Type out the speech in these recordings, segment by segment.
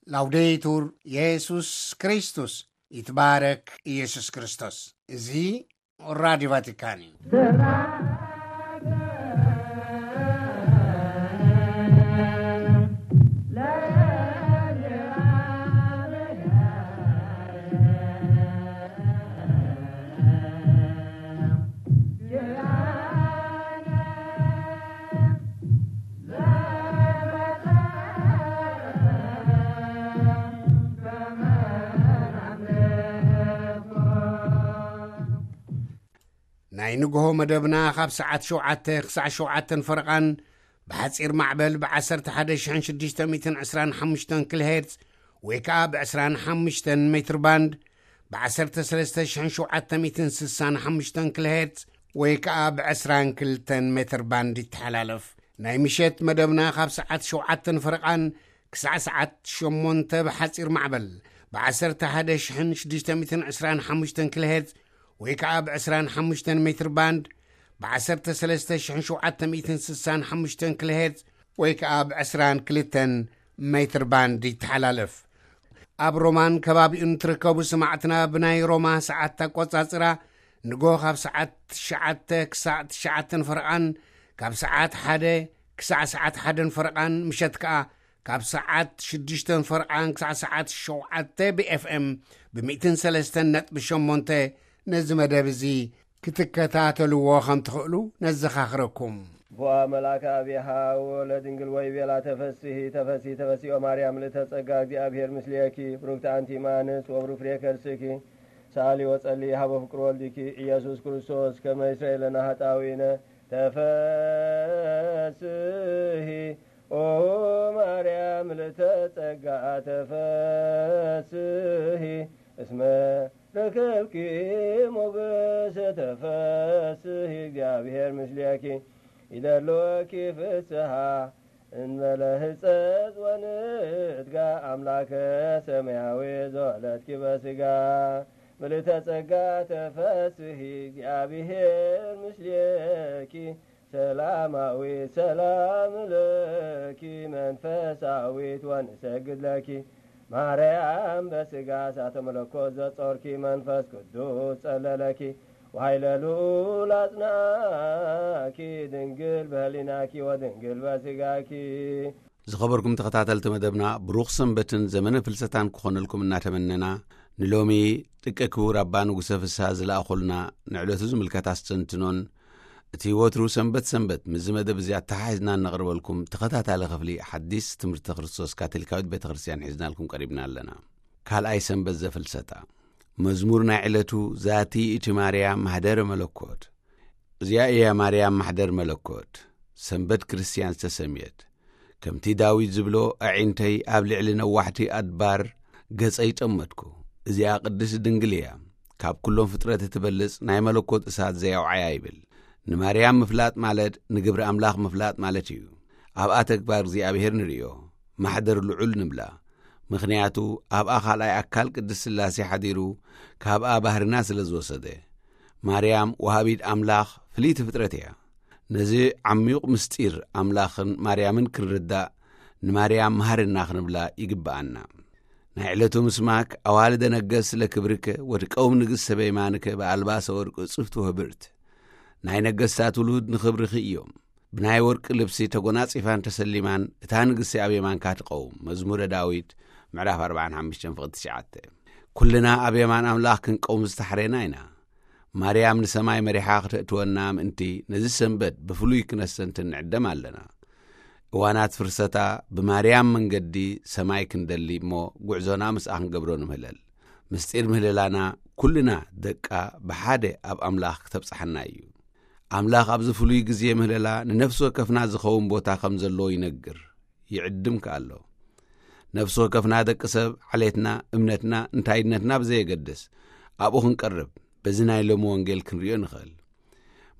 ላውዴቱር የሱስ ክርስቶስ፣ ይትባረክ ኢየሱስ ክርስቶስ። እዚ ራዲዮ ቫቲካን እዩ። ናይ ንግሆ መደብና ካብ ሰዓት ሸውዓተ ክሳዕ ሸውዓተን ፈረቓን ብሓጺር ማዕበል ብ11,625 ኪሎ ሄርትዝ ወይ ከኣ ብ25 ሜትር ባንድ ብ13,765 ኪሎ ሄርትዝ ወይ ከኣ ብ22 ሜትር ባንድ ይተሓላለፍ። ናይ ምሸት መደብና ካብ ሰዓት ሸውዓተን ፈረቓን ክሳዕ ሰዓት ሸሞንተ ብሓጺር ማዕበል ብ11,625 ኪሎ ሄርትዝ ወይ ከኣ ብ25 ሜትር ባንድ ብ13,765 ኪሎ ሄርትዝ ወይ ከኣ ብ22 ሜትር ባንድ ይተሓላለፍ። ኣብ ሮማን ከባቢኡን ትርከቡ ሰማዕትና፣ ብናይ ሮማ ሰዓት ኣቆጻጽራ ንጎ ካብ ሰዓት ትሽዓተ ክሳዕ ትሽዓተን ፈረቓን፣ ካብ ሰዓት ሓደ ክሳዕ ሰዓት ሓደን ፈረቓን፣ ምሸት ከኣ ካብ ሰዓት ሽዱሽተን ፈረቓን ክሳዕ ሰዓት ሸውዓተ ብ ኤፍ ኤም ብ103.8 ነዚ መደብ እዚ ክትከታተልዎ ከም ትኽእሉ ነዘኻኽረኩም። ቦአ መልአከ አብያሃ ወለድንግል ወይ ቤላ ተፈስሂ ተፈሲ ተፈሲኦ ማርያም ልተ ጸጋ እግዚአብሔር ምስሌኪ ብሩክቲ አንቲ ማንስ ወብሩክ ፍሬ ከርስኪ ሳሊ ወጸሊ ሀበ ፍቅር ወልድኪ ኢየሱስ ክርስቶስ ከመ ይስረይ ለነ ኃጣውኢነ። ተፈስሂ ኦ ማርያም ልተ ጸጋ ተፈስሂ እስመ ረከብኪ ሞገሰ። ተፈስሂ እግዚአብሔር ምስሌኪ ይደልወኪ ፍስሃ እንበለ ህጸጽ ወንትጋ አምላከ ሰማያዊ ዘወለድኪ በስጋ ምልእተ ጸጋ። ተፈስሂ እግዚአብሔር ምስሌኪ ሰላማዊ ሰላም ለኪ መንፈሳዊት ወንሰግድ ለኪ ማርያም በስጋ እሳተ መለኮት ዘጾርኪ መንፈስ ቅዱስ ጸለለኪ ወኃይለ ልዑል አጽናኪ ድንግል በህሊናኪ ወድንግል በስጋኪ። ዝኸበርኩም ተኸታተልቲ መደብና፣ ብሩኽ ሰንበትን ዘመነ ፍልሰታን ክኾነልኩም እናተመነና፣ ንሎሚ ጥቀ ክቡር ኣባ ንጉሰ ፍስሃ ዝለኣኹልና ንዕለቱ ዝምልከት ኣስተንትኖን እቲ ወትሩ ሰንበት ሰንበት ምስዚ መደብ እዚ ኣተሓሒዝና እነቕርበልኩም ተኸታታሊ ክፍሊ ሓዲስ ትምህርቲ ክርስቶስ ካቶሊካዊት ቤተ ክርስቲያን ሒዝናልኩም ቀሪብና ኣለና። ካልኣይ ሰንበት ዘፍልሰታ። መዝሙር ናይ ዕለቱ ዛቲ እቲ ማርያም ማሕደረ መለኮት። እዚኣ እያ ማርያም ማሕደር መለኮት፣ ሰንበት ክርስቲያን ዝተሰምየት። ከምቲ ዳዊት ዝብሎ፣ ኣዒንተይ ኣብ ልዕሊ ነዋሕቲ ኣድባር ገጸይ ጠመትኩ። እዚኣ ቅድስት ድንግል እያ። ካብ ኩሎም ፍጥረት እትበልጽ ናይ መለኮት እሳት ዘየውዓያ ይብል። ንማርያም ምፍላጥ ማለት ንግብሪ ኣምላኽ ምፍላጥ ማለት እዩ። ኣብኣ ተግባር እግዚኣብሔር ንርእዮ፣ ማሕደር ልዑል ንብላ። ምኽንያቱ ኣብኣ ካልኣይ ኣካል ቅድስት ሥላሴ ሓዲሩ ካብኣ ባህርና ስለ ዝወሰደ። ማርያም ወሃቢት ኣምላኽ ፍልይቲ ፍጥረት እያ። ነዚ ዓሚዩቕ ምስጢር ኣምላኽን ማርያምን ክንርዳእ ንማርያም መሃርና ክንብላ ይግብኣና። ናይ ዕለቱ ምስማክ ኣዋልደ ነገስ ለክብርከ ወትቀውም ንግሥተ በየማንከ በኣልባሰ ወርቅ ጽፍቱ ህብርት። ናይ ነገስታት ውሉድ ንኽብርኺ እዮም። ብናይ ወርቂ ልብሲ ተጎናጺፋን ተሰሊማን እታ ንግስቲ ኣብ የማንካ ትቐውም። መዝሙረ ዳዊት ምዕራፍ ኣርባዓን ሓሙሽተን ፍቕዲ ትሽዓተ። ኩልና ኣብ የማን ኣምላኽ ክንቀውም ዝተሓሬና ኢና። ማርያም ንሰማይ መሪሓ ክተእትወና ምእንቲ ነዚ ሰንበት ብፍሉይ ክነስተንትን ንዕደም ኣለና። እዋናት ፍርሰታ ብማርያም መንገዲ ሰማይ ክንደሊ እሞ ጉዕዞና ምስኣ ክንገብሮ ንምህለል። ምስጢር ምህለላና ኩልና ደቃ ብሓደ ኣብ ኣምላኽ ክተብጽሓና እዩ። ኣምላኽ ኣብዚ ፍሉይ ግዜ ምህለላ ንነፍሲ ወከፍና ዝኸውን ቦታ ከም ዘለዎ ይነግር፣ ይዕድም ከኣ ኣሎ። ነፍሲ ወከፍና ደቂ ሰብ ዓሌትና፣ እምነትና፣ እንታይነትና ብዘየገድስ ኣብኡ ክንቀርብ በዚ ናይ ሎሚ ወንጌል ክንርእዮ ንኽእል።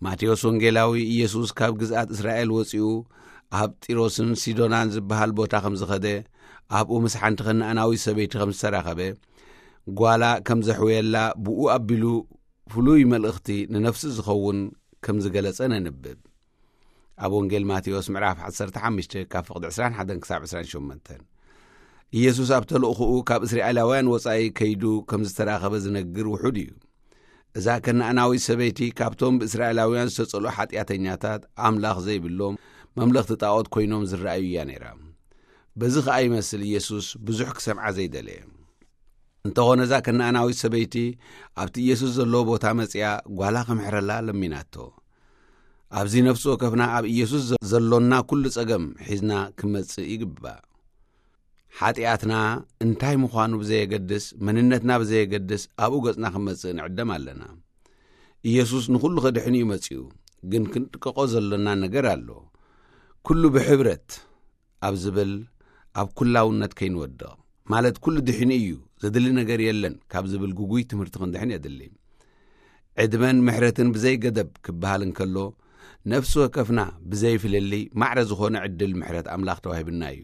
ማቴዎስ ወንጌላዊ ኢየሱስ ካብ ግዝኣት እስራኤል ወጺኡ ኣብ ጢሮስን ሲዶናን ዝበሃል ቦታ ከም ዝኸደ፣ ኣብኡ ምስ ሓንቲ ከነኣናዊት ሰበይቲ ከም ዝተራኸበ፣ ጓላ ከም ዘሕወየላ ብኡ ኣቢሉ ፍሉይ መልእኽቲ ንነፍሱ ዝኸውን ከም ዝገለጸ ነንብብ። ኣብ ወንጌል ማቴዎስ ምዕራፍ ዓሰርተ ሓሙሽተ ካብ ፍቕዲ ዕስራን ሓደን ክሳብ ዕስራን ሸሞንተን። ኢየሱስ ኣብ ተልእኹኡ ካብ እስራኤላውያን ወጻኢ ከይዱ ከም ዝተራኸበ ዝነግር ውሑድ እዩ። እዛ ከነኣናዊት ሰበይቲ ካብቶም ብእስራኤላውያን ዝተጸልኡ ሓጢኣተኛታት ኣምላኽ ዘይብሎም መምለኽቲ ጣዖት ኮይኖም ዝረኣዩ እያ ነይራ። በዚ ኸኣ ይመስል ኢየሱስ ብዙሕ ክሰምዓ ዘይደለየ። እንተኾነ እዛ ከነኣናዊት ሰበይቲ ኣብቲ ኢየሱስ ዘለዎ ቦታ መጺኣ ጓላ ክምሕረላ ለሚናቶ። ኣብዚ ነፍሲ ወከፍና ኣብ ኢየሱስ ዘ-፣ ዘሎና ኩሉ ጸገም ሒዝና ክመጽእ ይግባእ። ሓጢኣትና እንታይ ምዃኑ ብዘየገድስ፣ መንነትና ብዘየገድስ ኣብኡ ገጽና ክመጽእ ንዕደም ኣለና። ኢየሱስ ንኹሉ ከድሕን እዩ መጺኡ፣ ግን ክንጥቀቆ ዘሎና ነገር ኣሎ። ኩሉ ብሕብረት ኣብ ዝብል ኣብ ኩላውነት ከይንወድቕ፣ ማለት ኩሉ ድሒኑ እዩ፣ ዘድሊ ነገር የለን ካብ ዝብል ግጉይ ትምህርቲ ክንድሕን የድሊ። ዕድመን ምሕረትን ብዘይ ገደብ ክበሃል እንከሎ፣ ነፍሲ ወከፍና ብዘይ ፍልልይ ማዕረ ዝኾነ ዕድል ምሕረት ኣምላኽ ተዋሂብና እዩ።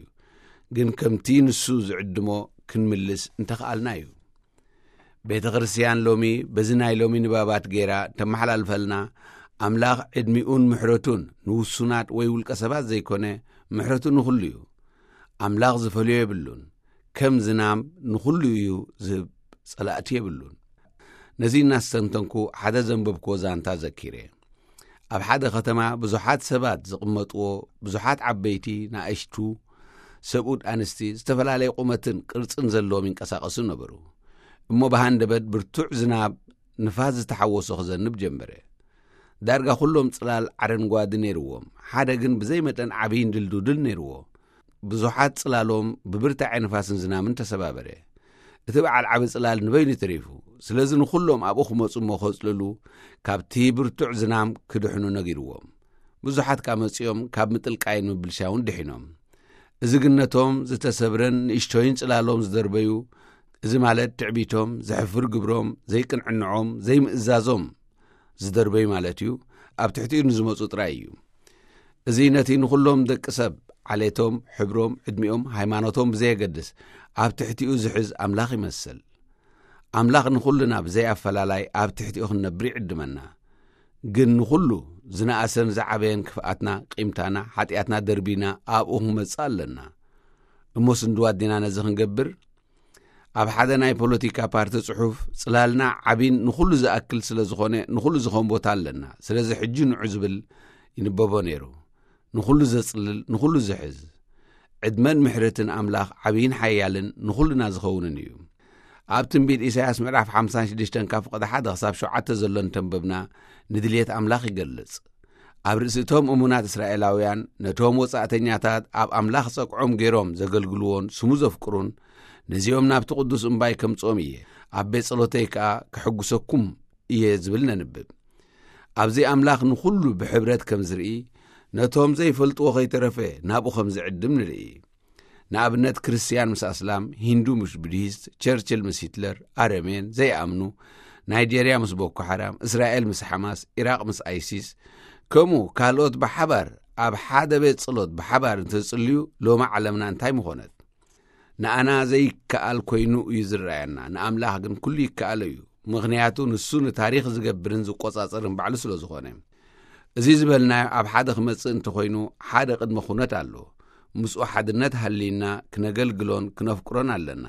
ግን ከምቲ ንሱ ዝዕድሞ ክንምልስ እንተኸኣልና እዩ። ቤተ ክርስቲያን ሎሚ በዚ ናይ ሎሚ ንባባት ገይራ ተመሓላልፈልና፣ ኣምላኽ ዕድሚኡን ምሕረቱን ንውሱናት ወይ ውልቀ ሰባት ዘይኮነ፣ ምሕረቱ ንኹሉ እዩ። ኣምላኽ ዝፈልዮ የብሉን። ከም ዝናም ንኹሉ እዩ ዝህብ፣ ጸላእቲ የብሉን። ነዚ እናስተንተንኩ ሓደ ዘንበብክዎ ዛንታ ዘኪረ። ኣብ ሓደ ከተማ ብዙሓት ሰባት ዝቕመጥዎ፣ ብዙሓት ዓበይቲ፣ ንኣሽቱ፣ ሰብኡት፣ ኣንስቲ፣ ዝተፈላለየ ቁመትን ቅርጽን ዘለዎም ይንቀሳቐሱ ነበሩ። እሞ ብሃንደበት ብርቱዕ ዝናብ ንፋስ ዝተሓወሶ ክዘንብ ጀመረ። ዳርጋ ኩሎም ጽላል ዓረንጓዲ ነይርዎም፣ ሓደ ግን ብዘይ መጠን ዓብይን ድልዱድል ነይርዎ። ብዙሓት ጽላሎም ብብርታዐ ንፋስን ዝናምን ተሰባበረ። እቲ በዓል ዓቢ ጽላል ንበይኑ ተሪፉ። ስለዚ ንኹሎም ኣብኡ ክመጹ እሞ ከጽልሉ፣ ካብቲ ብርቱዕ ዝናም ክድሕኑ ነጊርዎም። ብዙሓት ከኣ መጺኦም ካብ ምጥልቃይን ምብልሻውን ድሒኖም። እዚ ግን ነቶም ዝተሰብረን ንእሽቶይን ጽላሎም ዝደርበዩ፣ እዚ ማለት ትዕቢቶም፣ ዘሕፍር ግብሮም፣ ዘይቅንዕንዖም፣ ዘይምእዛዞም ዝደርበዩ ማለት እዩ፣ ኣብ ትሕቲኡ ንዝመጹ ጥራይ እዩ። እዚ ነቲ ንኹሎም ደቂ ሰብ፣ ዓሌቶም፣ ሕብሮም፣ ዕድሚኦም፣ ሃይማኖቶም ብዘየገድስ ኣብ ትሕቲኡ ዝሕዝ ኣምላኽ ይመስል። ኣምላኽ ንኹልና ብዘይ ኣፈላላይ ኣብ ትሕቲኡ ክንነብር ይዕድመና። ግን ንኹሉ ዝነኣሰን ዝዓበየን ክፍኣትና፣ ቂምታና፣ ሓጢኣትና ደርቢና ኣብኡ ክንመጽእ ኣለና። እሞ ስንድዋ ዲና ነዚ ክንገብር? ኣብ ሓደ ናይ ፖለቲካ ፓርቲ ጽሑፍ፣ ጽላልና ዓቢን ንኹሉ ዝኣክል ስለ ዝኾነ፣ ንኹሉ ዝኾን ቦታ ኣለና። ስለዚ ሕጂ ንዑ ዝብል ይንበቦ ነይሩ። ንኹሉ ዘጽልል፣ ንኹሉ ዝሕዝ። ዕድመን ምሕረትን ኣምላኽ ዓቢይን ሓያልን ንኹልና ዝኸውንን እዩ። ኣብ ትንቢት ኢሳያስ ምዕራፍ ሓምሳን ሽዱሽተን ካብ ፍቕዲ ሓደ ክሳብ ሸውዓተ ዘሎ እንተንበብና፣ ንድልየት ኣምላኽ ይገልጽ። ኣብ ርእሲ እቶም እሙናት እስራኤላውያን፣ ነቶም ወጻእተኛታት ኣብ ኣምላኽ ጸግዖም ገይሮም ዘገልግልዎን ስሙ ዘፍቅሩን፣ ነዚኦም ናብቲ ቅዱስ እምባይ ከምጽኦም እየ፣ ኣብ ቤት ጸሎተይ ከኣ ክሕጉሰኩም እየ ዝብል ነንብብ። ኣብዚ ኣምላኽ ንኹሉ ብሕብረት ከም ዝርኢ፣ ነቶም ዘይፈልጥዎ ከይተረፈ ናብኡ ከም ዝዕድም ንርኢ። ንኣብነት፣ ክርስትያን ምስ ኣስላም፣ ሂንዱ ምስ ቡድሂስት፣ ቸርችል ምስ ሂትለር፣ ኣረሜን፣ ዘይኣምኑ፣ ናይጀርያ ምስ ቦኮ ሓራም፣ እስራኤል ምስ ሓማስ፣ ኢራቕ ምስ ኣይሲስ፣ ከምኡ ካልኦት ብሓባር ኣብ ሓደ ቤት ጸሎት ብሓባር እንተዝጽልዩ፣ ሎሚ ዓለምና እንታይ ምኾነት? ንኣና ዘይከኣል ኮይኑ እዩ ዝረኣየና፣ ንኣምላኽ ግን ኩሉ ይከኣሎ እዩ። ምኽንያቱ ንሱ ንታሪኽ ዝገብርን ዝቆጻጸርን ባዕሉ ስለ ዝኾነ። እዚ ዝበልናዮ ኣብ ሓደ ክመጽእ እንተኾይኑ ሓደ ቅድመ ኩነት ኣሎ። ምስኡ ሓድነት ሃልይና ክነገልግሎን ክነፍቅሮን ኣለና።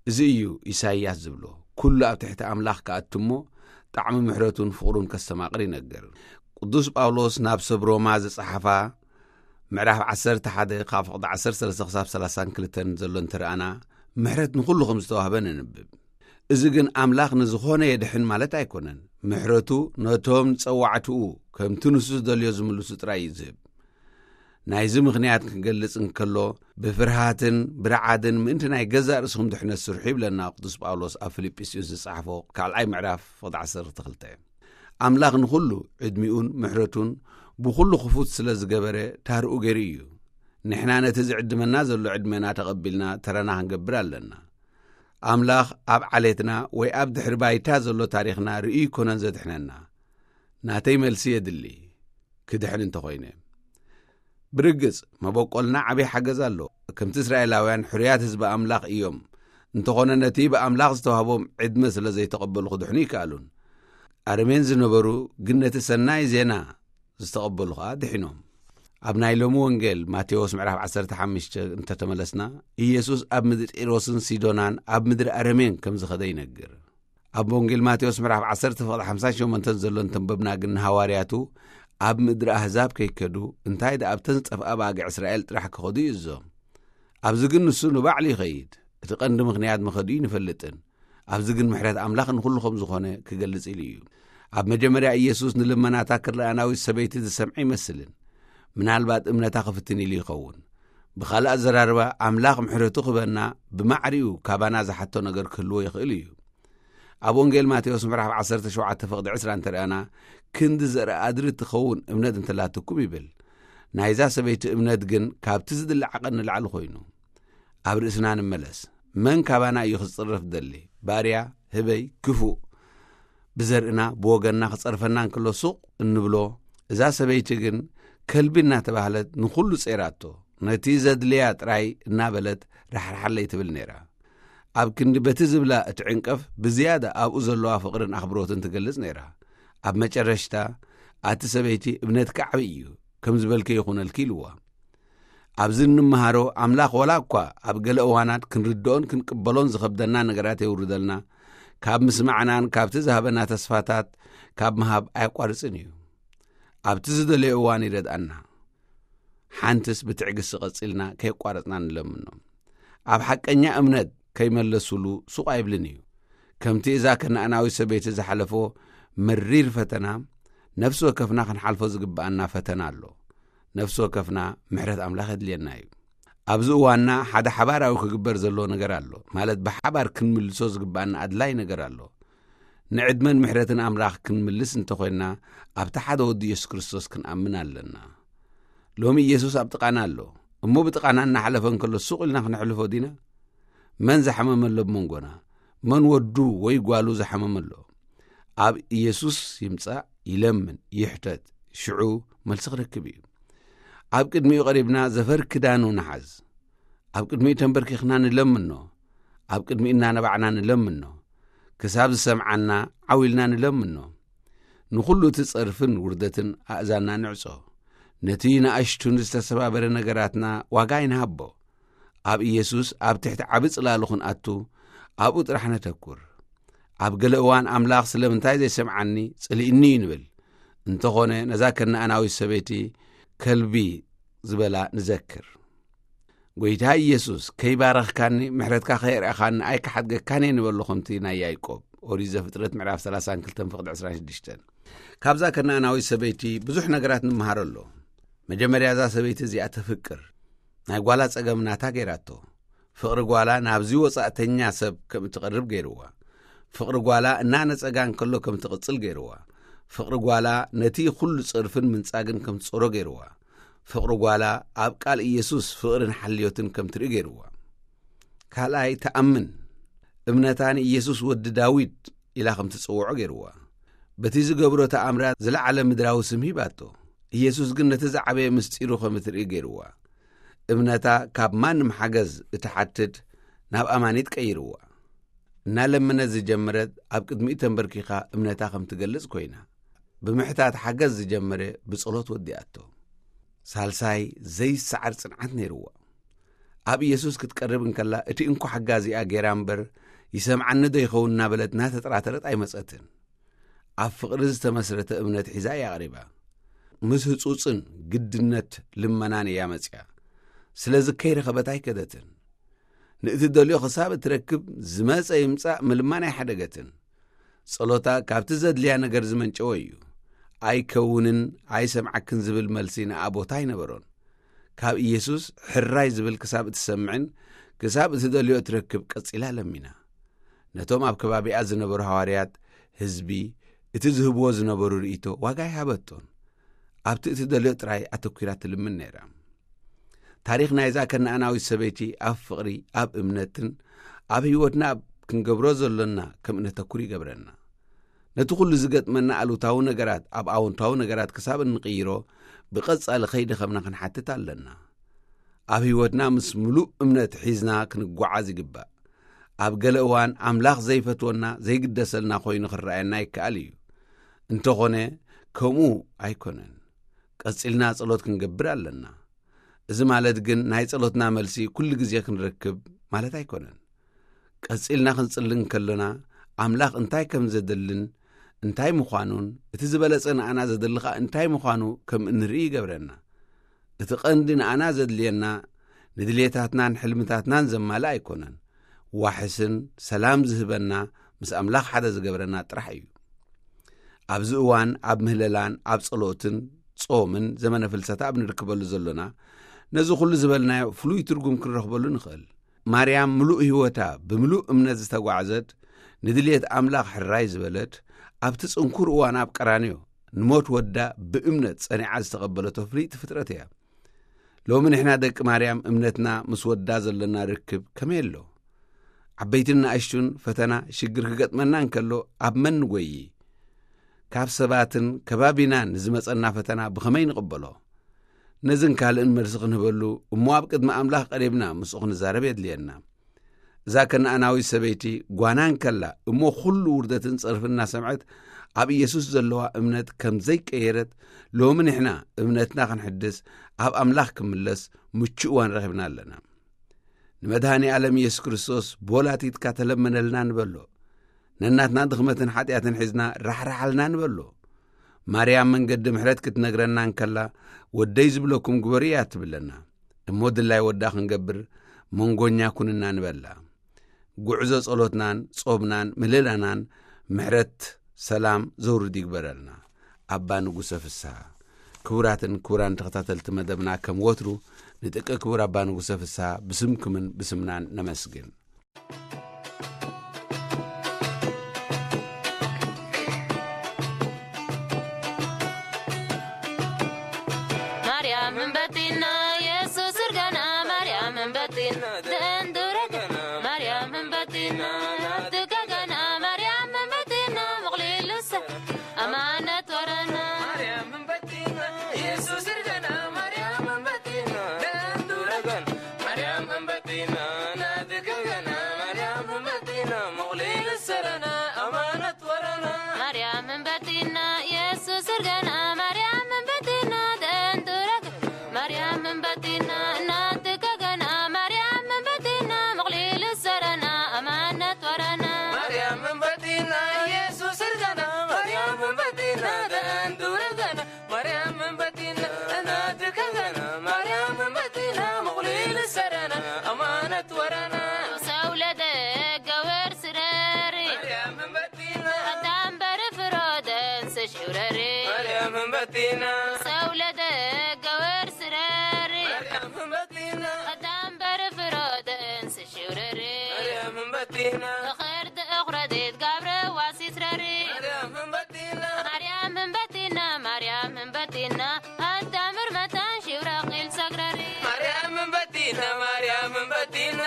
እዚ እዩ ኢሳይያስ ዝብሎ። ኩሉ ኣብ ትሕቲ ኣምላኽ ክኣቱ እሞ ጣዕሚ ምሕረቱን ፍቕሩን ከስተማቕር ይነግር። ቅዱስ ጳውሎስ ናብ ሰብ ሮማ ዝጸሓፋ ምዕራፍ ዓሰርተ ሓደ ካብ ፍቕዲ ዓሰርተ ሰለስተ ክሳብ ሰላሳን ክልተን ዘሎ እንተ ረኣና፣ ምሕረት ንኹሉ ከም ዝተዋህበ ነንብብ። እዚ ግን ኣምላኽ ንዝኾነ የድሕን ማለት ኣይኮነን። ምሕረቱ ነቶም ጸዋዕትኡ ከምቲ ንሱ ዝደልዮ ዝምልሱ ጥራይ እዩ ዝህብ። ናይዚ ምኽንያት ክንገልጽ እንከሎ፣ ብፍርሃትን ብረዓድን ምእንቲ ናይ ገዛእ ርእስኹም ድሕነት ስርሑ ይብለና ቅዱስ ጳውሎስ ኣብ ፊልጵስዩስ ዝጸሓፎ ካልኣይ ምዕራፍ ፍቕዲ ዓሰርተ ክልተ። ኣምላኽ ንኹሉ ዕድሚኡን ምሕረቱን ብኹሉ ክፉት ስለ ዝገበረ ታርኡ ገይሩ እዩ። ንሕና ነቲ ዝዕድመና ዘሎ ዕድመና ተቐቢልና ተራና ክንገብር ኣለና። ኣምላኽ ኣብ ዓሌትና ወይ ኣብ ድሕሪ ባይታ ዘሎ ታሪኽና ርእዩ ኣይኮነን ዘድሕነና። ናተይ መልሲ የድሊ፣ ክድሕን እንተኾይነ። ብርግጽ፣ መበቆልና ዓብዪ ሓገዝ ኣሎ። ከምቲ እስራኤላውያን ሕሩያት ህዝቢ ኣምላኽ እዮም። እንተኾነ ነቲ ብኣምላኽ ዝተዋህቦም ዕድመ ስለ ዘይተቐበሉ ክድሕኑ ይከኣሉን። ኣረሜን ዝነበሩ ግን ነቲ ሰናይ ዜና ዝተቐበሉ ኸኣ ድሒኖም። ኣብ ናይ ሎሚ ወንጌል ማቴዎስ ምዕራፍ ዓሰርተ ሓሙሽተ እንተተመለስና፣ ኢየሱስ ኣብ ምድሪ ጢሮስን ሲዶናን ኣብ ምድሪ ኣረሜን ከም ዝኸደ ይነግር። ኣብ ወንጌል ማቴዎስ ምዕራፍ ዓሰርተ ፍቕዲ ሓምሳን ሸሞንተን ዘሎ እንተንበብና ግን፣ ንሃዋርያቱ ኣብ ምድሪ ኣህዛብ ከይከዱ፣ እንታይ ደኣ ኣብተን ዝጠፍኣ ኣባጊዕ እስራኤል ጥራሕ ክኸዱ ይእዞም። ኣብዚ ግን ንሱ ንባዕሉ ይኸይድ። እቲ ቀንዲ ምኽንያት መኸዱ ይንፈልጥን። ኣብዚ ግን ምሕረት ኣምላኽ ንኹሉ ከም ዝኾነ ክገልጽ ኢሉ እዩ። ኣብ መጀመርያ ኢየሱስ ንልመናታ ክርኣናዊት ሰበይቲ ዝሰምዐ ይመስልን። ምናልባት እምነታ ክፍትን ኢሉ ይኸውን። ብኻልእ ኣዘራርባ፣ ኣምላኽ ምሕረቱ ክበና ብማዕሪኡ ካባና ዝሓቶ ነገር ክህልዎ ይኽእል እዩ። ኣብ ወንጌል ማቴዎስ ምዕራፍ ዓሰርተ ሸውዓተ ፍቕዲ ዕስራ እንተርኣና፣ ክንዲ ዘርኢ ኣድሪ ትኸውን እምነት እንተላትኩም ይብል። ናይዛ ሰበይቲ እምነት ግን ካብቲ ዝድለ ዓቐን ንላዕሊ ኮይኑ። ኣብ ርእስና ንመለስ። መን ካባና እዩ ክጽረፍ ደሊ? ባርያ፣ ህበይ፣ ክፉእ። ብዘርእና፣ ብወገንና ክጸርፈና እንከሎ ሱቕ እንብሎ። እዛ ሰበይቲ ግን ከልቢ እናተባህለት ንኹሉ ጸይራቶ። ነቲ ዘድልያ ጥራይ እናበለት ራሕርሓለይ ትብል ነይራ። ኣብ ክንዲ በቲ ዝብላ እትዕንቀፍ፣ ብዝያዳ ኣብኡ ዘለዋ ፍቕርን ኣኽብሮትን ትገልጽ ነይራ። ኣብ መጨረሽታ፣ ኣቲ ሰበይቲ እምነትካ ዓብዪ እዩ፣ ከም ዝበልከ ይኹነልኪ ኢልዋ። ኣብዚ እንመሃሮ፣ ኣምላኽ ዋላ እኳ ኣብ ገለ እዋናት ክንርድኦን ክንቅበሎን ዝኸብደና ነገራት የውርደልና፣ ካብ ምስማዕናን ካብቲ ዝሃበና ተስፋታት ካብ ምሃብ ኣየቋርጽን እዩ። ኣብቲ ዝደለዮ እዋን ይረድኣና። ሓንትስ ብትዕግስቲ ቀጺልና ከየቋረጽና ንለምኖ። ኣብ ሓቀኛ እምነት ከይመለሱሉ ሱቕ ኣይብልን እዩ። ከምቲ እዛ ከነኣናዊት ሰበይቲ ዝሓለፎ መሪር ፈተና፣ ነፍሲ ወከፍና ክንሓልፎ ዝግብኣና ፈተና ኣሎ። ነፍሲ ወከፍና ምሕረት ኣምላኽ የድልየና እዩ። ኣብዚ እዋንና ሓደ ሓባራዊ ክግበር ዘለዎ ነገር ኣሎ። ማለት ብሓባር ክንምልሶ ዝግብኣና ኣድላይ ነገር ኣሎ። ንዕድመን ምሕረትን ኣምላኽ ክንምልስ እንተኾይንና፣ ኣብቲ ሓደ ወዲ የሱስ ክርስቶስ ክንኣምን ኣለና። ሎሚ ኢየሱስ ኣብ ጥቓና ኣሎ። እሞ ብጥቓና እናሓለፈ እንከሎ ሱቕ ኢልና ክነሕልፎ ዲና? መን ዝሓመመ ኣሎ ብመንጎና? መን ወዱ ወይ ጓሉ ዝሓመመ ኣሎ? ኣብ ኢየሱስ ይምጻእ፣ ይለምን፣ ይሕተት፣ ሽዑ መልሲ ክረክብ እዩ። ኣብ ቅድሚኡ ቀሪብና ዘፈር ክዳኑ ንሓዝ። ኣብ ቅድሚኡ ተንበርኪኽና ንለምኖ። ኣብ ቅድሚኡ እናነባዕና ንለምኖ። ክሳብ ዝሰምዓና ዓው ኢልና ንለምኖ። ንኹሉ እቲ ጸርፍን ውርደትን ኣእዛንና ንዕጾ። ነቲ ንኣሽቱን ዝተሰባበረ ነገራትና ዋጋ ኣይንሃቦ። ኣብ ኢየሱስ ኣብ ትሕቲ ዓቢ ጽላሉ ክንኣቱ ኣብኡ ጥራሕ ነተኩር። ኣብ ገለ እዋን ኣምላኽ ስለምንታይ ዘይሰምዓኒ ጽሊእኒ እዩ ንብል። እንተኾነ ነዛ ከነኣናዊት ሰበይቲ ከልቢ ዝበላ ንዘክር። ጎይታ ኢየሱስ ከይባረኽካኒ ምሕረትካ ከየርኣኻኒ ኣይክሓድገካን እየ ንበሎ ከምቲ ናይ ያዕቆብ ኦሪት ዘፍጥረት ምዕራፍ ሰላሳን ክልተን ፍቕዲ ዕስራን ሽዱሽተን። ካብዛ ከነኣናዊት ሰበይቲ ብዙሕ ነገራት ንምሃር ኣሎ። መጀመርያ እዛ ሰበይቲ እዚኣ ተፍቅር። ናይ ጓላ ጸገም ናታ ገይራቶ። ፍቕሪ ጓላ ናብዚ ወጻእተኛ ሰብ ከም እትቐርብ ገይርዋ። ፍቕሪ ጓላ እናነጸጋ እንከሎ ከም ትቕጽል ገይርዋ። ፍቕሪ ጓላ ነቲ ኩሉ ጸርፍን ምንጻግን ከም ትጾሮ ገይርዋ። ፍቕሪ ጓላ ኣብ ቃል ኢየሱስ ፍቕርን ሓልዮትን ከም ትርኢ ገይርዋ። ካልኣይ፣ ትኣምን። እምነታ ንኢየሱስ ወዲ ዳዊት ኢላ ከም ትጽውዖ ገይርዋ። በቲ ዝገብሮ ተኣምራት ዝለዓለ ምድራዊ ስም ሂባቶ። ኢየሱስ ግን ነቲ ዝዓበየ ምስጢሩ ከም እትርኢ ገይርዋ። እምነታ ካብ ማንም ሓገዝ እትሓትት ናብ ኣማኒት ቀይርዋ። እናለመነት ዝጀመረት ኣብ ቅድሚኡ ተንበርኪኻ እምነታ ከም ትገልጽ ኮይና። ብምሕታት ሓገዝ ዝጀመረ ብጸሎት ወዲኣቶ። ሳልሳይ፣ ዘይሰዓር ጽንዓት ነይርዋ። ኣብ ኢየሱስ ክትቀርብ እንከላ እቲ እንኮ ሓጋዚኣ ገይራ እምበር፣ ይሰምዓኒ ዶ ይኸውን እናበለት እናተጠራተረት ኣይመጸትን። ኣብ ፍቕሪ ዝተመስረተ እምነት ሒዛ እያ ቀሪባ። ምስ ህጹጽን ግድነት ልመናን እያ መጽያ። ስለዚ ከይረኸበት ኣይከደትን። ንእትደልዮ ክሳብ እትረክብ ዝመጸ ይምጻእ ምልማን ኣይሓደገትን። ጸሎታ ካብቲ ዘድልያ ነገር ዝመንጨወ እዩ። ኣይከውንን ኣይሰምዓክን ዝብል መልሲ ንኣ ቦታ ኣይነበሮን። ካብ ኢየሱስ ሕራይ ዝብል ክሳብ እትሰምዕን ክሳብ እትደልዮ እትረክብ ቀጺላ ለሚና። ነቶም ኣብ ከባቢኣ ዝነበሩ ሃዋርያት ህዝቢ እቲ ዝህብዎ ዝነበሩ ርእይቶ ዋጋ ኣይሃበቶን። ኣብቲ እትደልዮ ጥራይ ኣተኲራ ትልምን ነይራ። ታሪኽ ናይዛ ከነኣናዊት ሰበይቲ ኣብ ፍቕሪ፣ ኣብ እምነትን ኣብ ህይወትና ኣብ ክንገብሮ ዘሎና ከም እነተኩር ይገብረና። ነቲ ኩሉ ዝገጥመና ኣሉታዊ ነገራት ኣብ ኣወንታዊ ነገራት ክሳብ እንቕይሮ ብቐጻሊ ከይደኸምና ክንሓትት ኣለና። ኣብ ህይወትና ምስ ምሉእ እምነት ሒዝና ክንጓዓዝ ይግባእ። ኣብ ገለ እዋን ኣምላኽ ዘይፈትወና ዘይግደሰልና ኮይኑ ክረኣየና ይከኣል እዩ። እንተኾነ ከምኡ ኣይኮነን። ቀጺልና ጸሎት ክንገብር ኣለና። እዚ ማለት ግን ናይ ጸሎትና መልሲ ኩሉ ግዜ ክንረክብ ማለት ኣይኮነን። ቀጺልና ክንጽሊ እንከሎና፣ ኣምላኽ እንታይ ከም ዘደልን እንታይ ምዃኑን፣ እቲ ዝበለጸ ንኣና ዘደሊ ኸኣ እንታይ ምዃኑ ከም እንርኢ ይገብረና። እቲ ቀንዲ ንኣና ዘድልየና፣ ንድልየታትናን ሕልምታትናን ዘማልእ ኣይኮነን። ዋሕስን ሰላም ዝህበና፣ ምስ ኣምላኽ ሓደ ዝገብረና ጥራሕ እዩ። ኣብዚ እዋን ኣብ ምህለላን ኣብ ጸሎትን ጾምን ዘመነ ፍልሰታ ኣብ ንርከበሉ ዘሎና፣ ነዚ ኩሉ ዝበልናዮ ፍሉይ ትርጉም ክንረኽበሉ ንኽእል። ማርያም ምሉእ ህይወታ ብምሉእ እምነት ዝተጓዕዘት፣ ንድልየት ኣምላኽ ሕራይ ዝበለት፣ ኣብቲ ጽንኩር እዋን ኣብ ቀራንዮ ንሞት ወዳ ብእምነት ጸኒዓ ዝተቐበለቶ ፍልይቲ ፍጥረት እያ። ሎሚ ንሕና ደቂ ማርያም እምነትና ምስ ወዳ ዘሎና ርክብ ከመይ ኣሎ? ዓበይትን ንኣሽቱን ፈተና፣ ሽግር ክገጥመና እንከሎ ኣብ መን ንጎዪ? ካብ ሰባትን ከባቢናን ንዝመጸና ፈተና ብኸመይ ንቕበሎ? ነዝን ካልእን መልሲ ክንህበሉ እሞ ኣብ ቅድሚ ኣምላኽ ቀሪብና ምስኡ ክንዛረብ የድልየና። እዛ ከነኣናዊት ሰበይቲ ጓና እንከላ እሞ ኩሉ ውርደትን ጸርፍን እናሰምዐት ኣብ ኢየሱስ ዘለዋ እምነት ከም ዘይቀየረት፣ ሎሚ ንሕና እምነትና ክንሕድስ ኣብ ኣምላኽ ክምለስ ምቹእ እዋን ረኺብና ኣለና። ንመድሃኒ ዓለም ኢየሱስ ክርስቶስ ቦላቲትካ ተለመነልና ንበሎ። ነናትና ድኽመትን ሓጢኣትን ሒዝና ራሕራሓልና ንበሎ። ማርያም መንገዲ ምሕረት ክትነግረና እንከላ፣ ወደይ ዝብለኩም ግበሩ እያ ትብለና። እሞ ድላይ ወዳ ክንገብር መንጎኛ ኩንና ንበላ። ጉዕዞ ጸሎትናን ጾምናን ምልላናን ምሕረት ሰላም ዘውርድ ይግበረልና። ኣባ ንጉሰ ፍስሃ። ክቡራትን ክቡራን ተኸታተልቲ መደብና፣ ከም ወትሩ ንጥቂ ክቡር ኣባ ንጉሰ ፍስሃ ብስምኩምን ብስምናን ነመስግን። ማርያም እንበቲና የሱስ እርጋና፣ ማርያም እንበቲና ደንዱረገና፣ ማርያም እንበቲና ናትከገና፣ ማርያም እንበቲና ምቕሊልሰ ኣማነት ወረና። ማርያም እንበቲና የሱስ እርጋና፣ ማርያም እንበቲና ደንዱረገና፣ ማርያም እንበቲና ናትከገና፣ ማርያም እንበቲና ምቕሊልሰ ረና ኣማነት ወረና። ማርያም እንበቲና የሱስ እርጋና፣ ማርያም እንበቲና ደንዱረገና፣ ማርያም እንበቲና እናትከገና፣ ማርያም እንበቲና ምቕሊልሰ ረና ኣማነት ወረና። ማርያም እንበቲና የሱስ እርጋና፣ ማርያም እንበቲና ደንዱረገና፣ ማርያም እንበቲና እናትከገና፣ ማርያም እንበቲና ምቕሊልሰ ረና ኣማነት ወረና። ሰው ለደገ ወር ስረሪ ማርያም እንበቲና ኣዳም በርፍሮ ደንስ ሽውረሪ ማርያም እንበቲና ሰው ለደገ ወር ስረሪ ማርያም እንበቲና ኣዳም በርፍሮ ደንስ ሽውረሪ ማርያም እንበቲና እኽርድ እኽረዲት ጋብረ ዋሲት ረሪ ማርያም እንበቲና ማርያም እንበቲና ማርያም እንበቲና ኣዳምር መታን ሽውረቂል ሰግረሪ ማርያም እንበቲና ማርያም እንበቲና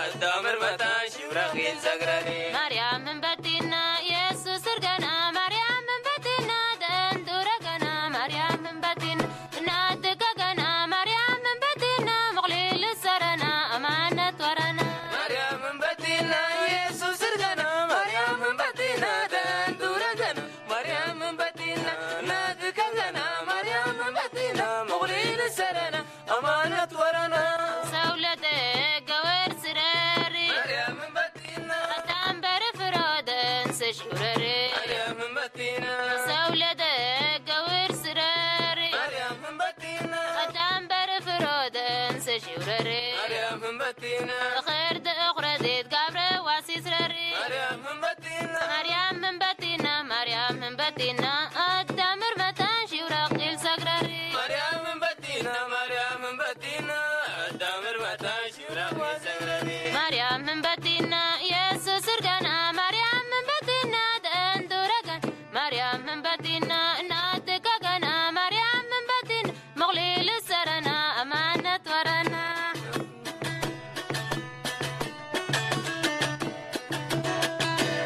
ኣዳምር መታን ሽውረቂል ሰግረሪ ማርያም እንበቲና የሱስ እርገና ማርያም እንበቲና ደንዱረገና ማርያም እንበቲና እናትከገና ማርያም እንበቲና ምቕሊል ሰረና ኣማነት ወረና ማርያም እንበቲና የሱስ እርገና ማርያም እንበቲና ደንዱረገና ማርያም እንበቲና እናትከገና ማርያም እንበቲና ምቕሊል ሰረና ኣማነት ወረና ሰውለተ ገወር ስረሪ ማርያም እንበቲና ኣታምበር ፍሮደን ስሽውረሪ ማርያም እንበቲና ሰውለተ ገወር ስረሪ ማርያም እንበቲና ኣታምበር ፍሮደን ስሽውረሪ ማርያም እንበቲና እኽርድ እኽረዲት ጋብረ ዋሲስረሪ ማርያም እንበቲና ማርያም እንበቲና ማርያም እንበቲና ኣዳምር መታን ሽውረቂል ሰግረሪ ማርያም እንበቲና ማርያም እንበቲና ኣዳምር መታን ሽውረቂል ሰግረሪ ማርያም እንበቲና የሱስ እርገና ማርያም እንበቲና ደንዱረገን ማርያም እንበቲና እናትከገና ማርያም እንበቲና ምቕሊል ሰረና ኣማነት ወረና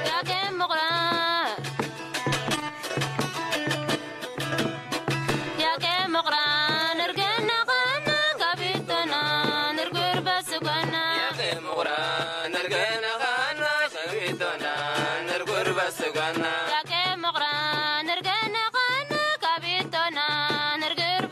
ያቄ ምቑራ ያቄ ምቑራ ንርገና ኸና ካቢቶና ንርጉር በስጎና ያቄ ምቑራ ንርገና ኸና ካቢቶና ንርጉር በስጎና ያቄ ምቑራ ንርገና ኸና ካቢቶና ንርጉር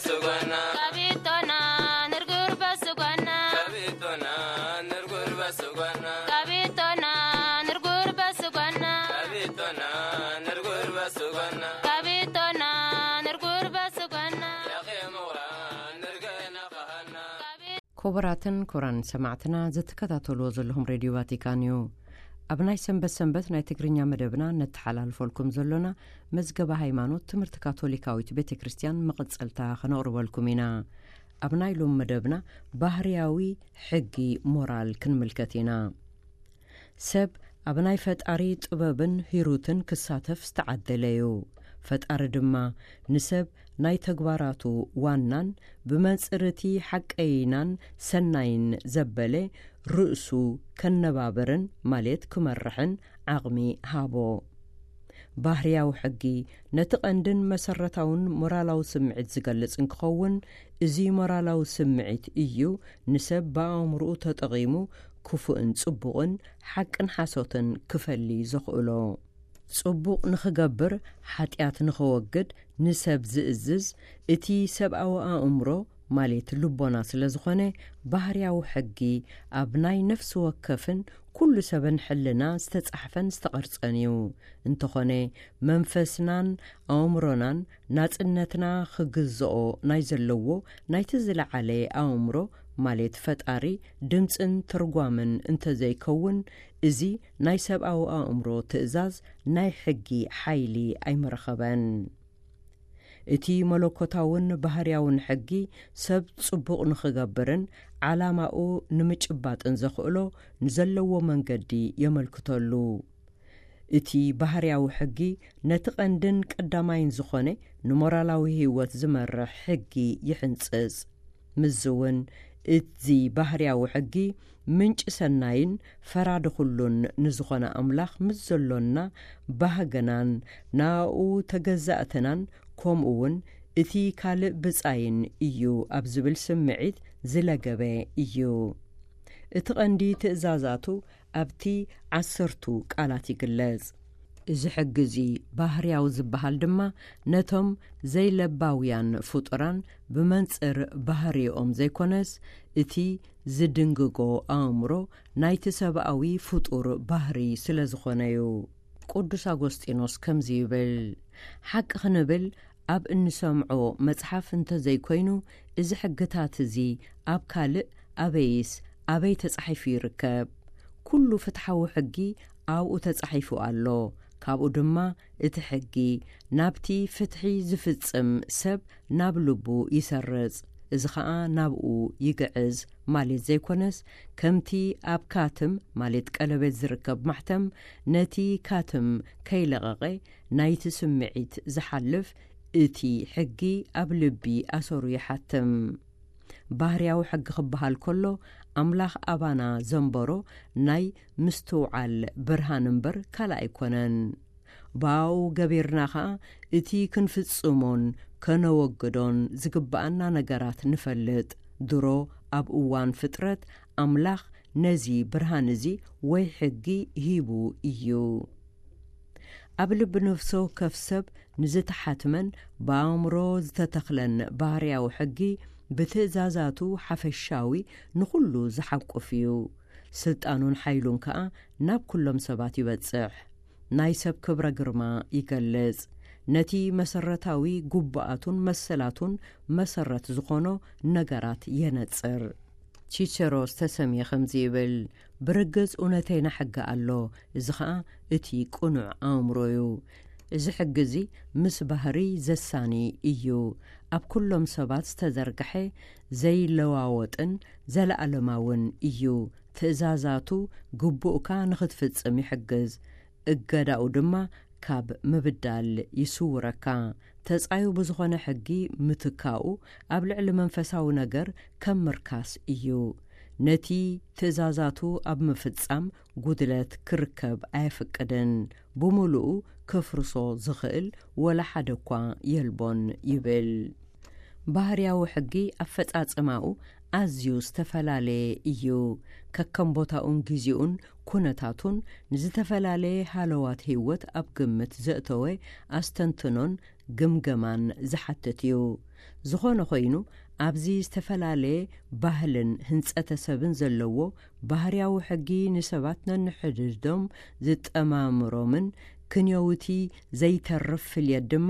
ስጎና ካቢቶና ንርጉር በስጎና ካቢቶና ንርጉር በስጎና ካቢቶና ንርጉር በስጎና ካቢቶና ንርጉር በስጎና ካቢቶና ንርጉር በስጎና ያኼ ምውራ ንርገና ኸሃና። ክቡራትን ክቡራን ሰማዕትና፣ ዝትከታተልዎ ዘለኹም ሬድዮ ቫቲካን እዩ። ኣብ ናይ ሰንበት ሰንበት ናይ ትግርኛ መደብና ነተሓላልፈልኩም ዘሎና መዝገበ ሃይማኖት ትምህርቲ ካቶሊካዊት ቤተ ክርስቲያን መቐጸልታ ከነቕርበልኩም ኢና። ኣብ ናይ ሎም መደብና ባህርያዊ ሕጊ ሞራል ክንምልከት ኢና። ሰብ ኣብ ናይ ፈጣሪ ጥበብን ሂሩትን ክሳተፍ ዝተዓደለ እዩ። ፈጣሪ ድማ ንሰብ ናይ ተግባራቱ ዋናን ብመንጽር እቲ ሓቀይናን ሰናይን ዘበለ ርእሱ ከነባብርን ማለት ክመርሕን ዓቕሚ ሃቦ። ባህርያዊ ሕጊ ነቲ ቀንድን መሰረታውን ሞራላዊ ስምዒት ዝገልጽ እንክኸውን፣ እዚ ሞራላዊ ስምዒት እዩ ንሰብ ብኣእምርኡ ተጠቒሙ ክፉእን ጽቡቕን ሓቅን ሓሶትን ክፈሊ ዘኽእሎ። ጽቡቕ ንኽገብር፣ ሓጢኣት ንኸወግድ ንሰብ ዝእዝዝ እቲ ሰብኣዊ ኣእምሮ ማለት ልቦና ስለ ዝኾነ፣ ባህርያዊ ሕጊ ኣብ ናይ ነፍሲ ወከፍን ኩሉ ሰብን ሕልና ዝተጻሕፈን ዝተቐርጸን እዩ። እንተኾነ፣ መንፈስናን ኣእምሮናን ናጽነትና ክግዝኦ ናይ ዘለዎ ናይቲ ዝለዓለ ኣእምሮ ማለት ፈጣሪ ድምጽን ትርጓምን እንተዘይከውን፣ እዚ ናይ ሰብኣዊ ኣእምሮ ትእዛዝ ናይ ሕጊ ሓይሊ ኣይምረኸበን። እቲ መለኮታውን ባህርያውን ሕጊ ሰብ ጽቡቕ ንኽገብርን ዓላማኡ ንምጭባጥን ዘኽእሎ ንዘለዎ መንገዲ የመልክተሉ። እቲ ባህርያዊ ሕጊ ነቲ ቀንድን ቀዳማይን ዝኾነ ንሞራላዊ ህይወት ዝመርሕ ሕጊ ይሕንጽጽ። ምስዚ እውን እዚ ባህርያዊ ሕጊ ምንጪ ሰናይን ፈራዲ ኩሉን ንዝኾነ ኣምላኽ ምስ ዘሎና ባህግናን ናኡ ተገዛእትናን ከምኡ እውን እቲ ካልእ ብጻይን እዩ ኣብ ዝብል ስምዒት ዝለገበ እዩ። እቲ ቀንዲ ትእዛዛቱ ኣብቲ ዓሰርቱ ቃላት ይግለጽ። እዚ ሕጊ እዚ ባህርያዊ ዝበሃል ድማ ነቶም ዘይለባውያን ፍጡራን ብመንጽር ባህሪኦም ዘይኮነስ፣ እቲ ዝድንግጎ ኣእምሮ ናይቲ ሰብኣዊ ፍጡር ባህሪ ስለ ዝኾነ እዩ። ቅዱስ ኣጎስጢኖስ ከምዚ ይብል፣ ሓቂ ክንብል ኣብ እንሰምዖ መጽሓፍ እንተዘይኮይኑ፣ እዚ ሕግታት እዚ ኣብ ካልእ ኣበይስ ኣበይ ተጻሒፉ ይርከብ? ኩሉ ፍትሓዊ ሕጊ ኣብኡ ተጻሒፉ ኣሎ። ካብኡ ድማ እቲ ሕጊ ናብቲ ፍትሒ ዝፍጽም ሰብ ናብ ልቡ ይሰርጽ፣ እዚ ኸኣ ናብኡ ይግዕዝ ማለት ዘይኮነስ፣ ከምቲ ኣብ ካትም ማለት ቀለቤት ዝርከብ ማሕተም ነቲ ካትም ከይለቐቐ ናይቲ ስምዒት ዝሓልፍ፣ እቲ ሕጊ ኣብ ልቢ ኣሰሩ ይሓትም። ባህርያዊ ሕጊ ክበሃል ከሎ፣ ኣምላኽ ኣባና ዘንበሮ ናይ ምስትውዓል ብርሃን እምበር ካልእ ኣይኮነን። ብኣኡ ገቢርና ኸኣ እቲ ክንፍጽሞን ከነወግዶን ዝግብኣና ነገራት ንፈልጥ። ድሮ ኣብ እዋን ፍጥረት ኣምላኽ ነዚ ብርሃን እዚ ወይ ሕጊ ሂቡ እዩ። ኣብ ልቢ ነፍሲ ወከፍ ሰብ ንዝተሓትመን ብኣእምሮ ዝተተኽለን ባህርያዊ ሕጊ ብትእዛዛቱ ሓፈሻዊ ንኹሉ ዝሓቁፍ እዩ። ስልጣኑን ሓይሉን ከኣ ናብ ኩሎም ሰባት ይበጽሕ። ናይ ሰብ ክብረ ግርማ ይገልጽ። ነቲ መሰረታዊ ጉቡኣቱን መሰላቱን መሰረት ዝኾኖ ነገራት የነጽር። ቺቸሮ ዝተሰምየ ከምዚ ይብል፣ ብርግጽ እውነተይና ሕጊ ኣሎ፣ እዚ ኸኣ እቲ ቅኑዕ ኣእምሮ እዩ። እዚ ሕጊ እዚ ምስ ባህሪ ዘሳኒ እዩ። ኣብ ኩሎም ሰባት ዝተዘርግሐ ዘይለዋወጥን ዘለኣለማውን እዩ። ትእዛዛቱ ግቡእካ ንኽትፍጽም ይሕግዝ። እገዳኡ ድማ ካብ ምብዳል ይስውረካ። ተጻዩ ብዝኾነ ሕጊ ምትካኡ ኣብ ልዕሊ መንፈሳዊ ነገር ከም ምርካስ እዩ። ነቲ ትእዛዛቱ ኣብ ምፍጻም ጉድለት ክርከብ ኣየፍቅድን፣ ብምሉኡ ከፍርሶ ዝኽእል ወላ ሓደ እኳ የልቦን ይብል። ባህርያዊ ሕጊ ኣፈጻጽማኡ ኣዝዩ ዝተፈላለየ እዩ። ከከም ቦታኡን ግዜኡን ኩነታቱን ንዝተፈላለየ ሃለዋት ህይወት ኣብ ግምት ዘእተወ ኣስተንትኖን ግምገማን ዝሓትት እዩ። ዝኾነ ኮይኑ፣ ኣብዚ ዝተፈላለየ ባህልን ህንጸተ ሰብን ዘለዎ ባህርያዊ ሕጊ፣ ንሰባት ነንሕድሕዶም ዝጠማምሮምን ክንዮውቲ ዘይተርፍ ፍልየት ድማ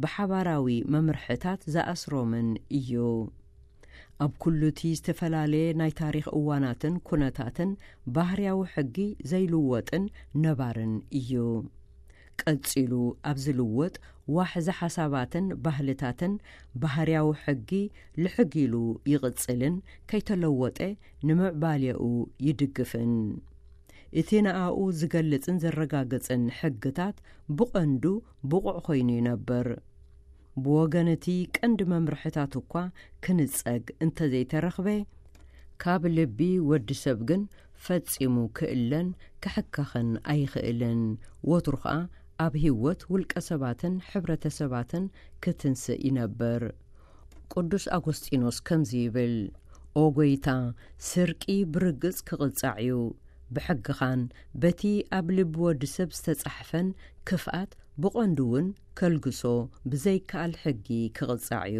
ብሓባራዊ መምርሕታት ዝኣስሮምን እዩ። ኣብ ኩሉ እቲ ዝተፈላለየ ናይ ታሪኽ እዋናትን ኩነታትን ባህርያዊ ሕጊ ዘይልወጥን ነባርን እዩ። ቀጺሉ ኣብ ዝልወጥ ዋሕዚ ሓሳባትን ባህልታትን ባህርያዊ ሕጊ ልሕግ ኢሉ ይቕጽልን ከይተለወጠ ንምዕባሌኡ ይድግፍን። እቲ ንኣኡ ዝገልጽን ዘረጋግጽን ሕግታት ብቐንዱ ብቑዕ ኮይኑ ይነብር። ብወገን እቲ ቀንዲ መምርሕታት እኳ ክንጸግ እንተዘይተረኽበ፣ ካብ ልቢ ወዲ ሰብ ግን ፈጺሙ ክእለን ክሕከኽን ኣይኽእልን። ወትሩ ኸኣ ኣብ ህይወት ውልቀ ሰባትን ሕብረተሰባትን ክትንስእ ይነብር። ቅዱስ ኣጎስጢኖስ ከምዚ ይብል፣ "ኦ ጐይታ፣ ስርቂ ብርግጽ ክቕጻዕ እዩ። ብሕግኻን በቲ ኣብ ልቢ ወዲ ሰብ ዝተጻሕፈን ክፍኣት ብቐንዱ እውን ከልግሶ ብዘይከኣል ሕጊ ክቕጻዕ እዩ።"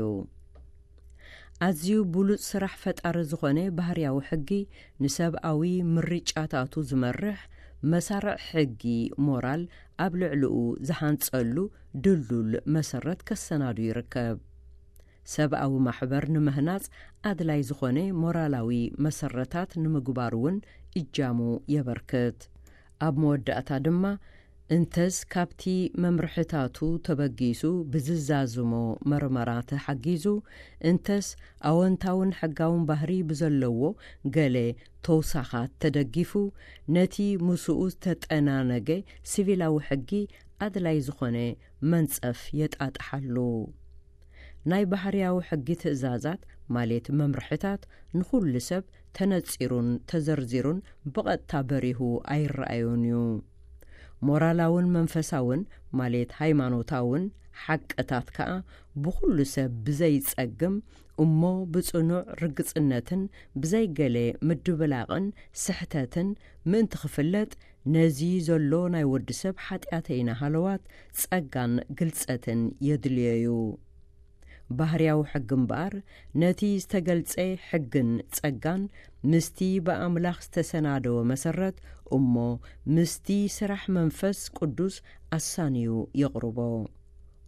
ኣዝዩ ብሉጽ ስራሕ ፈጣሪ ዝኾነ ባህርያዊ ሕጊ፣ ንሰብኣዊ ምርጫታቱ ዝመርሕ መሳርዕ ሕጊ ሞራል ኣብ ልዕሊኡ ዝሃንጸሉ ድልዱል መሰረት ከሰናዱ ይርከብ። ሰብኣዊ ማሕበር ንምህናጽ ኣድላይ ዝኾነ ሞራላዊ መሰረታት ንምግባር እውን እጃሙ የበርክት። ኣብ መወዳእታ ድማ፣ እንተስ ካብቲ መምርሕታቱ ተበጊሱ ብዝዛዝሞ መርመራ ተሓጊዙ፣ እንተስ ኣወንታውን ሕጋውን ባህሪ ብዘለዎ ገለ ተውሳኻት ተደጊፉ፣ ነቲ ምስኡ ዝተጠናነገ ሲቪላዊ ሕጊ ኣድላይ ዝኾነ መንጸፍ የጣጥሓሉ። ናይ ባህርያዊ ሕጊ ትእዛዛት፣ ማለት መምርሕታት፣ ንኹሉ ሰብ ተነጺሩን ተዘርዚሩን ብቐጥታ በሪሁ ኣይረኣዮን እዩ። ሞራላውን መንፈሳውን፣ ማለት ሃይማኖታውን ሓቅታት ከኣ ብኹሉ ሰብ ብዘይጸግም እሞ ብጽኑዕ ርግጽነትን ብዘይገለ ምድብላቕን ስሕተትን ምእንቲ ክፍለጥ፣ ነዚ ዘሎ ናይ ወዲ ሰብ ሓጢኣተይና ሃለዋት ጸጋን ግልጸትን የድልዮ እዩ። ባህርያዊ ሕጊ እምበኣር፣ ነቲ ዝተገልጸ ሕግን ጸጋን ምስቲ ብኣምላኽ ዝተሰናደወ መሰረት እሞ ምስቲ ስራሕ መንፈስ ቅዱስ ኣሳንዩ የቕርቦ።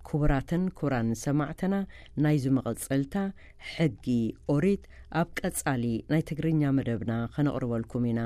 ክቡራትን ክቡራን ሰማዕትና፣ ናይዚ መቐጸልታ ሕጊ ኦሪት ኣብ ቀጻሊ ናይ ትግርኛ መደብና ከነቕርበልኩም ኢና።